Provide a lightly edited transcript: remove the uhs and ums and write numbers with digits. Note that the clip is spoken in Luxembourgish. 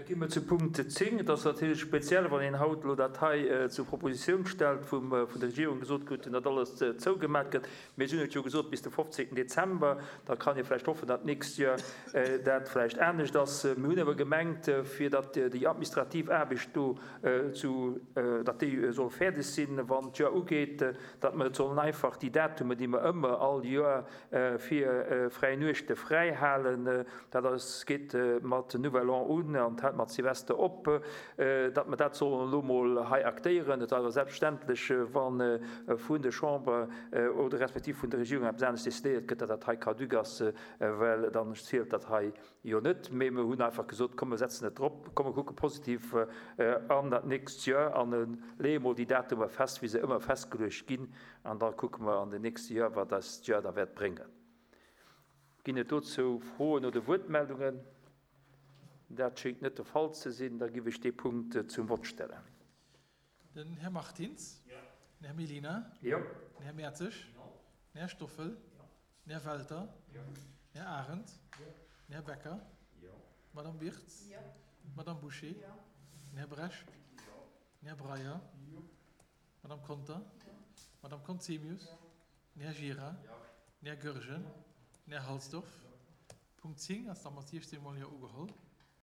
Da gi mer zu Punkt 10. Et ass natierlech speziell, wann een haut elo dat hei zur Propositioun stellt, wou vun der Regierung gesot krut, datt alles zougemat gëtt. Mir si hunn et jo gesot bis de 15. Dezember. Da kann ee vläicht hoffen, datt d'nächst Joer dat vläicht anescht ass. Mir hunn awer gemengt, fir datt déi administrativ Aarbecht do zu, datt déi soll fäerdeg sinn, wann d'Joer ugeet, datt mer et sollen einfach déi Datumen, déi mer ëmmer all Joer fir fräi Nuechte fräi halen, dat ass, geet mat Nouvel An un an hält mat Silvester op, datt mer dat sollen elo mol hei aktéieren. Et ass awer selbstverständlech, wa vun der Chamber oder respektiv vun der Regierung eppes anescht decidéiert gëtt, datt dat hei caduc ass, well dann zielt dat hei jo net. Mee mer hunn einfach gesot, komm mer setzen et drop, komm mer kucke positiv an dat nächst Joer an leeë mol déi Datumer fest, wéi se ëmmer festgeluecht ginn. An da kucke mer an den nächste Joer, wat eis d'Joer da wäert bréngen. Ginn et dozou Froen oder Wuertmeldungen? Dat schéngt net de Fall ze sinn. Da giff ech dee Punkt zum Vott stellen. Den Här Martins. Den Här Mellina. Den Här Mertzig. Den Här Stoffel. Den Här Welter. Den Här Arendt. Den Här Becker. D'Madame Birtz. D'Madame Bouché. Den Här Bresch. Den Här Breyer. D'Madame Conter. D'Madame Conzemius. Den Här Gira. Den Här Goergen. Den Här Halsdorf. Punkt 10 ass da mat 16 mol Jo ugeholl.